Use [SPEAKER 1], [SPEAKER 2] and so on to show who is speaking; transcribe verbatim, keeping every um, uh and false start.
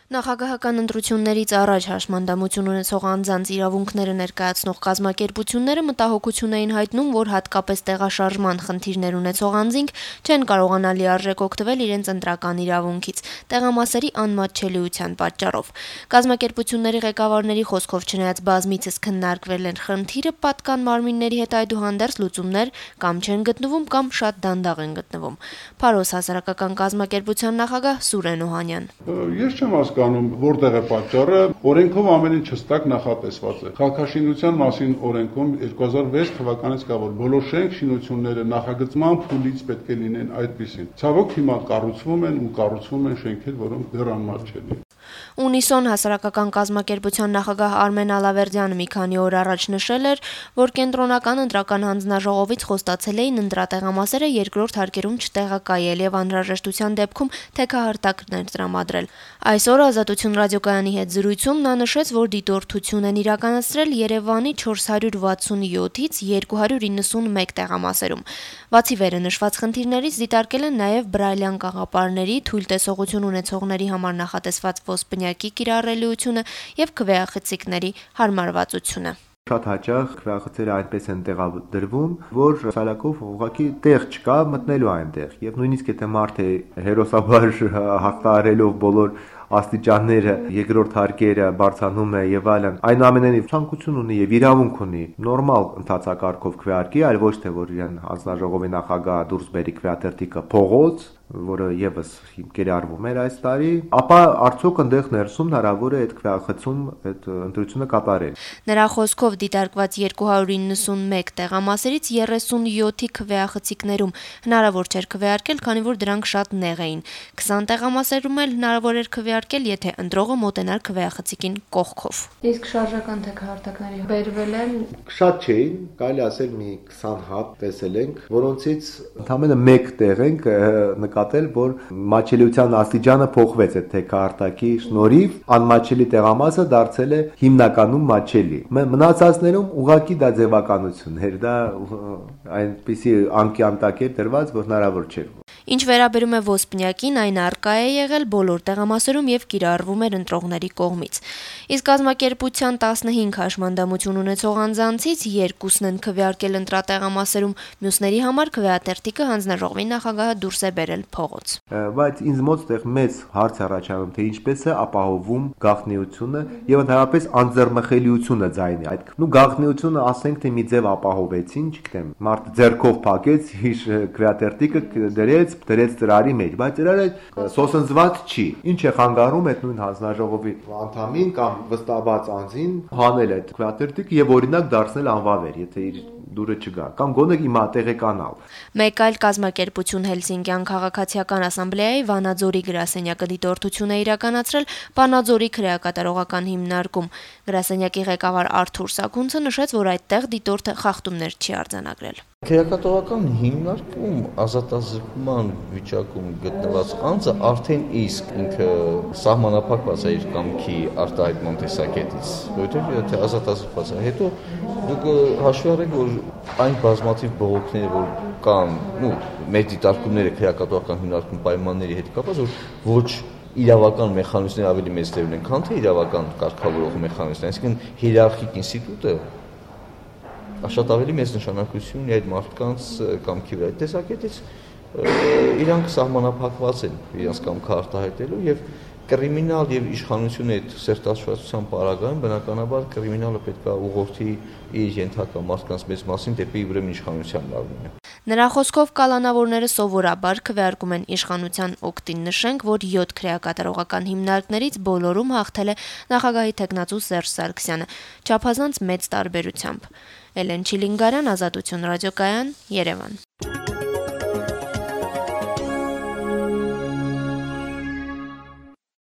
[SPEAKER 1] Նախագահական ընտրություններից առաջ հաշմանդամություն ունեցող անձանց իրավունքները ներկայացնող կազմակերպությունները մտահոգություն էին հայտնում, որ հատկապես տեղաշարժման խնդիրներ ունեցող անձինք չեն կարողանա լիարժեք օգտվել իրենց ընտրական իրավունքից, տեղամասերի անմատչելիության պատճառով։ Կազմակերպությունների ղեկավարների խոսքով չնայած բազմիցս քննարկվել են խնդիրը, պատկան մարմինների հետ այդուհանդերձ լուծումներ կամ չեն գտնվում, կամ շատ դանդաղ են գտնվում։ Փարոս հասարակական կազմակերպության նախագահ Սուրեն Օհանյան.
[SPEAKER 2] Ես չեմ հասկանում, որտեղ է պատճառը, օրենքով ամեն ինչ հստակ նախատեսված է։ Քաղաքաշինության մասին օրենքում երկու հազար վեց թվականից կա, որ բոլոր շենք շինությունները նախագծման փուլից պետք է լինեն այդպիսին։ Ցավոք հիմա կառուցվում են ու կառուցվում են շենքեր, որոնք դեռ անմատչելի են։
[SPEAKER 1] Ունիսոն հասարակական կազմակերպության նախագահ Արմեն Ալավերդյանը մի քանի օր առաջ նշել էր, որ կենտրոնական ընտրական հանձնաժողովից խոստացել էին ընտրատեղամասերը երկրորդ հարկերում չտեղակայել եւ անհրաժեշտության դեպքում թեքահարտակներ տրամադրել։ Այսօր Ազատություն ռադիոկայանի հետ զրույցում նա նշեց, որ դիտորդություն են իրականացրել Երևանի չորս հարյուր վաթսունյոթից երկու հարյուր իննսունմեկ տեղամասերում։ Բացի վերը նշված խնդիրներից դիտարկել են նաեւ բրայլյան կաղապարների, թույլ տեսողություն ունեցողների համար նախատեսված ոսպնյակի կիրառելիությունը եւ քվեախցիկների հարմարվածությունը։
[SPEAKER 3] Շատ հաճախ քվեախցերը այնպես են տեղադրվում, որ սալակով ուղղակի տեղ չկա մտնելու այնտեղ, եւ նույնիսկ եթե մարդը հերոսաբար հաղթահարելով բոլոր աստիճանները, երկրորդ հարկերը բարձանում է եւ այլն, այնուամենայնիվ ցանկություն ունի եւ իրավունք ունի նորմալ ընթացակարգով քվեարկի, այլ ոչ թե որ իրեն հանձնաժողովի նախագահ դուրս բերի քվեաթերթիկը փողոց, որը եւս կիրառվում էր այս տարի, ապա արդյոք այնտեղ ներսում հնարավոր է այդ քվեախցում այդ ընտրությունը կատարել։
[SPEAKER 1] Նրա խոսքով դիտարկված երկու հարյուր իննսունմեկ տեղամասերից երեսունյոթի քվեախցիկներում հնարավոր չէր քվեարկել, քանի որ դրանք շատ նեղ էին։ քսան տեղամասերում էլ հնարավոր էր քվեարկել, եթե ընտրողը մոտենար քվեախցիկին կողքով։
[SPEAKER 4] Իսկ շարժական թեքահարտակների բերվել են
[SPEAKER 3] շատ չէին, կարելի ասել մի քսան հատ տեսել ենք, որոնցից ընդամենը մեկ տեղ ենք նկատել, որ մատչելիության աստիճանը փոխվեց այդ թեքահարտակի շնորհիվ, անմատչելի տեղամասը դարձել է հիմնականում մատչելի։ Մնացածներում ուղղակի դա ձևականություն էր, դա այնպիսի անկյան տակ էր դրված, որ հնարավոր չէր։
[SPEAKER 1] Ինչ վերաբերում է ոսպնյակին, այն առկա է եղել բոլոր տեղամասերում եւ կիրառվում էր ընտրողների կողմից։ Իսկ կազմակերպության տասնհինգ հաշմանդամություն ունեցող անձանցից երկուսն են քվեարկել ընտրատեղամասերում, մյուսների համար քվեաթերթիկը հանձնաժողովի նախագահը դուրս է բերել փողոց։
[SPEAKER 3] Բայց ինձ մոտ այդտեղ մեծ հարց առաջանում, թե ինչպես է ապահովում գաղտնիությունը եւ ընդհանրապես անձեռմխելիությունը ձայնի։ Այդ նու գաղտնիությունը ասենք թե մի ձև ապահովեցին, չգիտեմ, մարդը ձեռքով փակեց, իր քվեաթերթիկը դրեց դրեց ծրարի մեջ, բայց ծրարը սոսնձված չի։ Ինչ է խանգարում այդ նույն հանձնաժողովի անդամին կամ վստահված անձին հանել այդ քվեաթերթիկը եւ օրինակ դարձնել անվավեր, եթե իր դուրը չգա, կամ գոնե հիմա տեղեկանալ։
[SPEAKER 1] Մեկ այլ կազմակերպություն Հելսինկյան քաղաքացիական ասամբլեայի Վանաձորի գրասենյակը դիտորդություն է իրականացրել Վանաձորի քրեակատարողական հիմնարկում։ Գրասենյակի ղեկավար Արթուր Սաքունցը նշեց, որ այդտեղ դիտորդը խախտումներ չի արձանագրել։
[SPEAKER 5] Քրեակատարողական հիմնարկում ազատազրկման վիճակում գտնված անձը արդեն իսկ ինքը սահմանափակված է իր կամքի արտահայտման տեսակետից, որովհետև եթե ազատազրկված է, հետո դուք հաշվի առեք, որ այն բազմաթիվ բողոքները, որ կան, նու մեր դիտարկումները քրեակատարողական հիմնարկում պայմանների հետ կապված, որ ոչ իրավական մեխանիզմները ավելի մեծ դեր ունեն, քան թե իրավական կարգավորող մեխանիզմները, այսինքն հիերարխիկ ինստիտուտը շատ ավելի մեծ նշանակություն ունի այդ մարդկանց կամքի վրա։ Այդ տեսակետից իրանք սահմանափակված են իրենց կամքը արտահայտելու եւ կրիմինալ եւ իշխանությունը այդ սերտաշվածության պարագայում բնականաբար կրիմինալը պետք է ուղղորդի իր ենթակա մարդկանց մեծ մասին դեպի ուրեմն իշխանության լավինը։
[SPEAKER 1] Նրա խոսքով կալանավորները սովորաբար քվեարկում են իշխանության օգտին, նշենք, որ յոթ քրեակատարողական հիմնարկներից բոլորում հաղթել է նախագահի թեկնածու Սերժ Սարգսյանը, չափազանց մեծ տարբերությամբ։ Էլեն Չիլինգարյան, Ազատություն ռադիոկայան, Երևան։